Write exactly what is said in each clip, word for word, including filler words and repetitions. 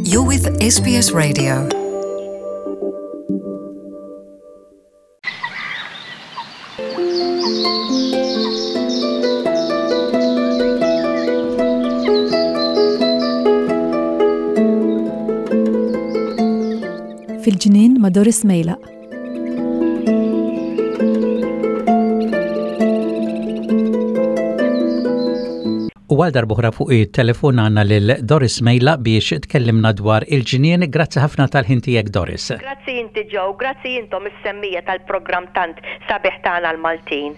You're with S B S Radio. Fil-ġnien ma' Doris Mejlaq. U għal darb'oħra fuq it-telefon għandna lil Doris Mejla biex tkellimna dwar il-ġnien. Grazzi ħafna tal-ħin tiegħek, Doris. Grazzi inti, Joe, grazzi intom is-semmiegħa tal-programm tant sabiħ tagħna l-Maltin.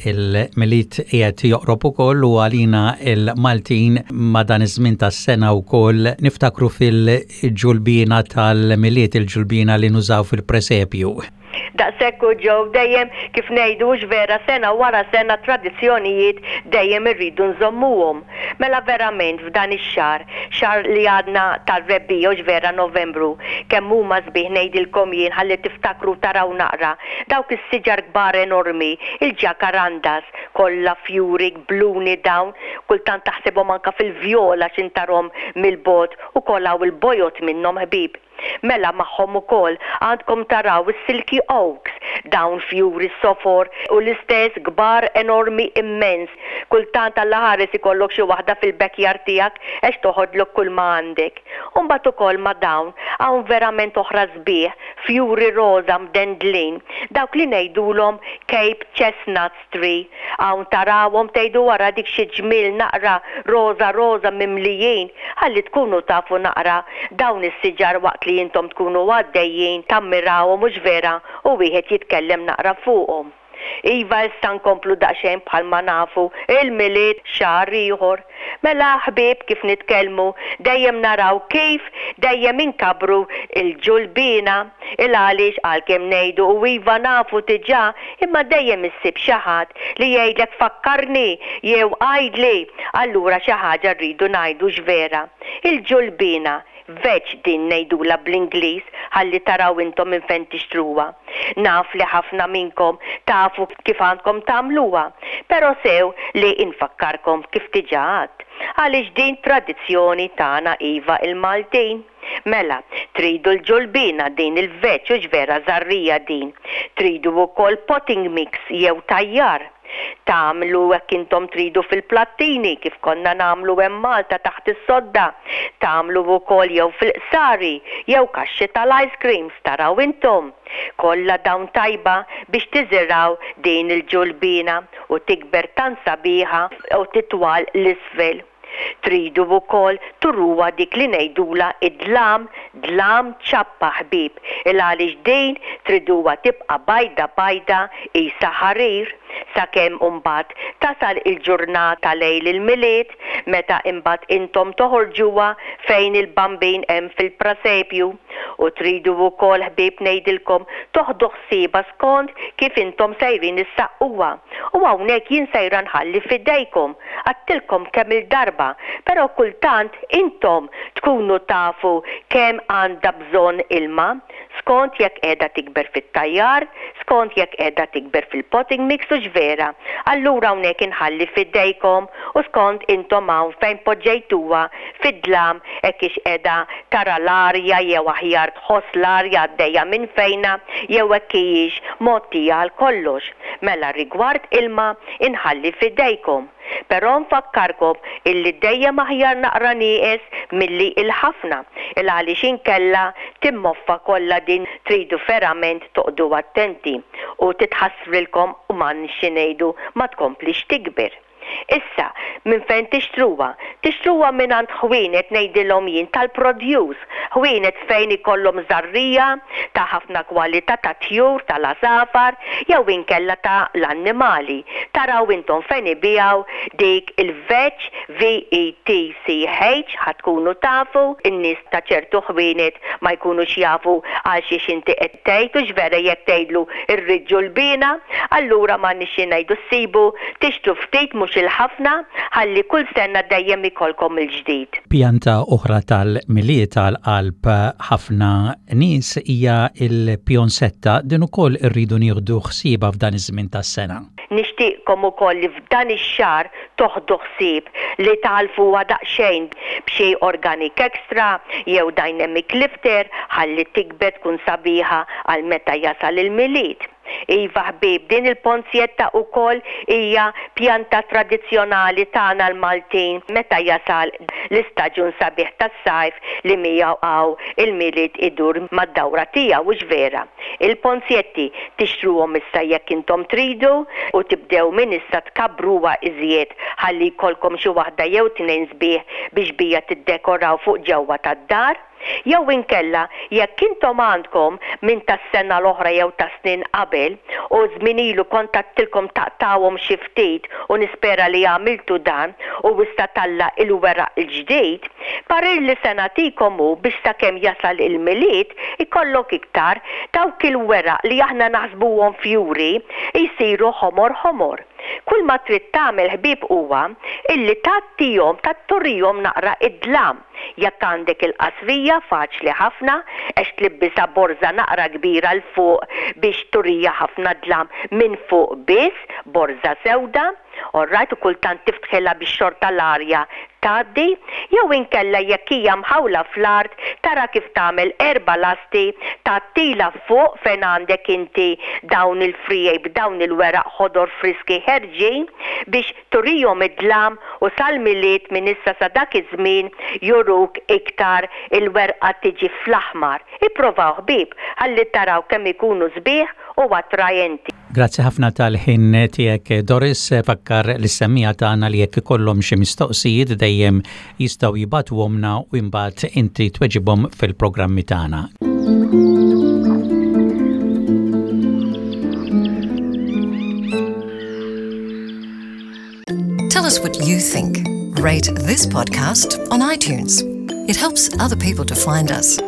Il-Milied qiegħed joqrob ukoll u għalina il-Maltin ma' dan iż-żmien tas-sena wkoll niftakru fil-ġulbina tal-Milied, il-ġulbina li nużaw fil-presepju. Daqshekk u, Joe, dejjem kif ngħidu vera, sena wara sena tradizzjonijiet dejjem irridu nżommuhom. Mela verament f'dan ix-xahar, xahar li għadna tal-rebbiegħa, vera, Novembru, kemm huma sbieħ, ngħidilkom jien, ħalli tiftakru taraw naqra dawk is-siġar kbar enormi, il-ġakarandas, kollha fjuri bluni dawn, kultant taħsibhom anka fil-vjola x'intarhom mill-bogħod u kollha il-bojod minnhom, ħbib. Mela magħhom ukoll għandkom taraw is-silky oaks, dawn fjuri sofor u l-istess kbar enormi immens. Kultant Alla ħares ikollok xi waħda fil-backyard tiegħek għax toħodlok kull ma għandek. Umbagħad ukoll ma' dawn hawn verament oħra sbieħ, fjuri roża mdendlin, dawk li ngħidulhom Cape Chestnuts Tree. Hawn tarawhom tgħidu wara dik xi ġmiel naqra roża roża mimlijin, ħalli tkunu tafu naqra dawn is-siġar waqt li intom tkunu għaddejjin tammirawhom, mhux vera, u wieħed jitkellem naqra fuqhom. Iva, issa nkomplu daqsxejn, bħalma nafu il-Milied xahar ieħor. Mela ħbieb, kif nitkellmu dejjem naraw kif dejjem inkabru il-ġulbina, il għaliex għalkemm ngħidu u iva nafu diġà, imma dejjem issib xi ħadd li jgħidlek "fakkarni" jew "għidli". Allura xi ħaġa rridu ngħidu x'vera. Il-ġulbina, vetch din ngħidula bl-Ingliż, ħalli taraw intom minn fejn tixtruha. Naf li ħafna minnkom tafu kif għandkom tagħmluha, però sew li infakkarkom kif diġà għedt, għaliex din tradizzjoni tagħna, iva, il-Maltin. Mela, tridu l-ġulbina din il-vetch, u vera żerriegħa din. Tridu wkoll potting mix jew tajjar. Tagħmlu hekk intom tridu fil-plattini kif konna nagħmlu hemm Malta taħt is-sodda. Tagħmlu wkoll jew fil-qsari jew kaxxi tal-ice creams, taraw intom. Kollha dawn tajba biex tiżiraw din il-ġulbina u tikber tant sabiħa u titwal l-isfel. Tridu wkoll turuha dik li ngħidula id-dlam, dlam ċappa, ħbieb, il għaliex din triduha tibqa' bajda bajda qisha ħarir sakemm imbagħad tasal il-ġurnata lejl il-Milied, meta imbagħad intom toħorġuha fejn il-Bambin hemm fil-prasepju. U tridu wkoll, ħbieb, ngħidilkom toħdu ħsieba skont kif intom sejrin issaqquha. U hawnhekk jien sejra nħalli fidejkom. Għedtilkom kemm il-darba, però kultant intom tkunu tafu kemm għandha bżonn ilma, skont jekk qiegħda tikber fit-tajjar, skont jekk qiegħda tikber fil-potting mix, u vera. Allura hawnhekk inħalli fidejkom u skont intom hawn fejn poġġejtuha fid-dlam hekk ix qiegħda tara l-arja jew aħjar tħoss l-arja għaddejja minn fejna jew hekk hijiex mgħottija għal kollox. Mela rigward ilma inħalli fidejkom. Però nfakkarkom illi dejjem aħjar naqra nieqes milli il-ħafna, il għaliex inkella timmoffa kollha din. Tridu verament toqogħdu attenti u titħassrilkom u man ngħidu ma tkomplix tikber. Issa, minn fejn tixtruha? Tixtruha minn għand ħwienet, ngħidilhom jien, tal-produce, ħwienet fejn ikollhom żerriegħa ta' ħafna kwalità ta' tjur, tal-għasafar, jew inkella ta' l-annimali. Taraw intom fejn ibiegħu dik il-vetch, V E T C H, ħa tkunu tafu, in-nies ta' ċertu ħwienet ma jkunux jafu għal xiex inti qed tgħid, u vera jekk tgħidlu rrid ġulbina, allura ma nix ngħidu ssibu, tixtru ftit mhux. Faċil ħafna ħalli kull sena dejjem ikollkom il-ġdid. Pjanta oħra tal-Milied tal-qalb ħafna nies hija il-pjonsetta. Din ukoll irridu nieħdu ħsiebha f'dan iż-żmien tas-sena. Nixtieqkom ukoll li f'dan ix-xahar toħdu ħsieb li tagħlfuha daqsxejn b'xi organic extra jew dynamic lifter ħalli tikber, tkun sabiħa għal meta jasal il-Milied. Iva ħbib, din il-ponzjetta ukoll hija pjanta tradizzjonali tagħna l-Maltin meta jasal l-istaġun sabiħ tas-sajf li miegħu hawn il-Milied idur mad-dawra tiegħu, hux vera? Il-ponzjetti tixtruhom issa jekk intom tridu u tibdew minn issa tkabbruha iżjed ħalli jkollkom xi waħda jew tnejn sbieħ biex bija tiddekoraw fuq ġewwa tad-dar. Jew inkella jekk intom għandkom minn tas-sena l-oħra jew ta' snin qabel u żmien ilu kont għedtilkom taqtgħuhom xi ftit u nispera li għamiltu dan u issa talla' il-weraq il-ġdid, parir li se nagħtikom hu biex sakemm jasal il-Milied ikollok iktar dawk il-weraq li aħna naħsbuhom fjuri jsiru ħomor ħomor. Kull ma trid tagħmel, ħbieb, huwa illi tagħtihom tatturihom naqra id-dlam. Jekk għandek il-qasrija, faċli ħafna għax tlibbisha borża naqra kbira 'l fuq biex turija ħafna dlam minn fuq biss, borża sewda, alright, u kultant tiftħilha biex xorta l-arja tgħaddi, jew inkella jekk hija mħawla fl-art tara kif tagħmel erba' lasti, tgħattilha fuq fejn għandek inti dawn il-friegħi b'dawn il-weraq ħodor friski ħerġin biex turihom id-dlam u sal-Milied, minn issa sa dak iż-żmien, juruk iktar il-werqa tiġi fl-aħmar. Ipprovaw, ħbieb, ħalli taraw kemm ikunu sbieħ u attrajenti. Grazzi ħafna tal-ħin tiegħek, Doris. Fakkar lis-semmiegħa tagħna li jekk ikollhom xi mistoqsijiet dejjem jistgħu jibagħtuhomlna u imbagħad inti tweġibhom fil-programmi tagħna. Tell us what you think. Rate this podcast on iTunes. It helps other people to find us.